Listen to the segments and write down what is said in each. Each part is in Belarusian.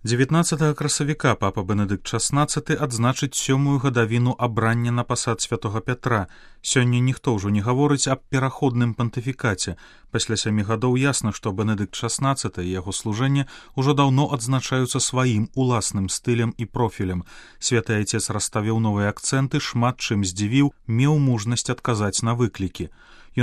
19 красавіка папа Бенедыкт XVI адзначыць 7-ю гадавіну абрання на пасад святога Пятра. Сёння ніхто ўжо не гаворыць аб пераходным пантыфікаце. Пасля 7 гадоў ясна, што Бенедыкт XVI і яго служэнне ўжо даўно адзначаюцца сваім уласным стылем і профілем. Святы Айцец расставіў новыя акцэнты, шмат чым здзівіў, меў мужнасць адказаць на выклікі.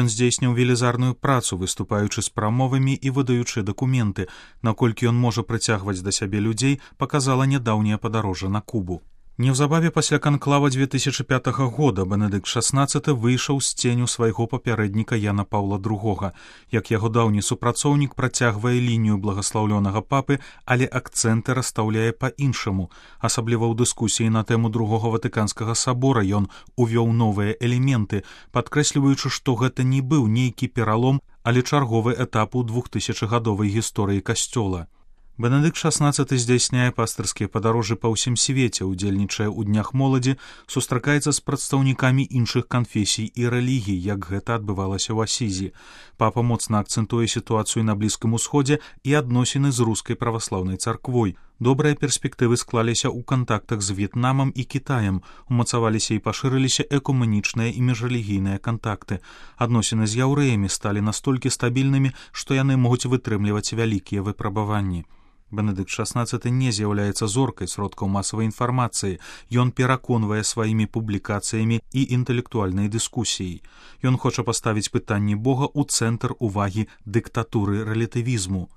Ён здзейсніў велізарную працу, выступаючы з прамовамі і выдаючы дакументы. Наколькі ён можа прыцягваць да сябе людзей, паказала нядаўняе падарожжа на Кубу. Неўзабаве пасля канклава 2005 года Бенедыкт XVI выйшаў з ценю свайго папярэдніка Яна Паўла II. Як яго даўні супрацоўнік працягвае лінію благаслаўлёнага папы, але акцэнты расстаўляе па-іншаму. Асабліва ў дыскусіі на тэму Другога Ватыканскага сабора ён увёў новыя элементы, падкрэсліваючы, што гэта не быў нейкі пералом, але чарговы этап у 2000-гадовай гісторыі касцёла. Бенедыкт XVI здзяйсняе пастырскія падарожжы па ўсім свеце, удзельнічае ў днях моладзі, сустракаецца з прадстаўнікамі іншых канфесій і рэлігій, як гэта адбывалася ў Асізі. Папа моцна акцэнтуе сітуацыю на Блізкім Усходзе і адносіны з рускай праваслаўнай царквой. Добрыя перспектывы склаліся ў кантактах з В'етнамам і Кітаем, умацаваліся і пашырыліся экумэнічныя і міжрэлігійныя кантакты. Адносіны з яўрэямі сталі настолькі стабільнымі, што яны могуць вытрымліваць вялікія выпрабаванні. Бенедыкт XVI не з'яўляецца зоркай сродкаў масавай інфармацыі, ён пераконвае сваімі публікацыямі і інтэлектуальнай дыскусіяй. Ён хоча паставіць пытанні Бога ў цэнтр увагі дыктатуры рэлятывізму.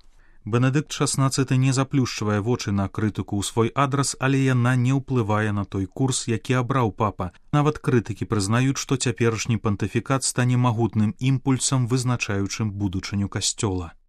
Бенедыкт XVI не заплюшчвае вочы на крытыку ў свой адрас, але яна не ўплывае на той курс, які абраў папа. Нават крытыкі прызнаюць, што цяперашні пантыфікат стане магутным імпульсам, вызначаючым будучыню касцёла.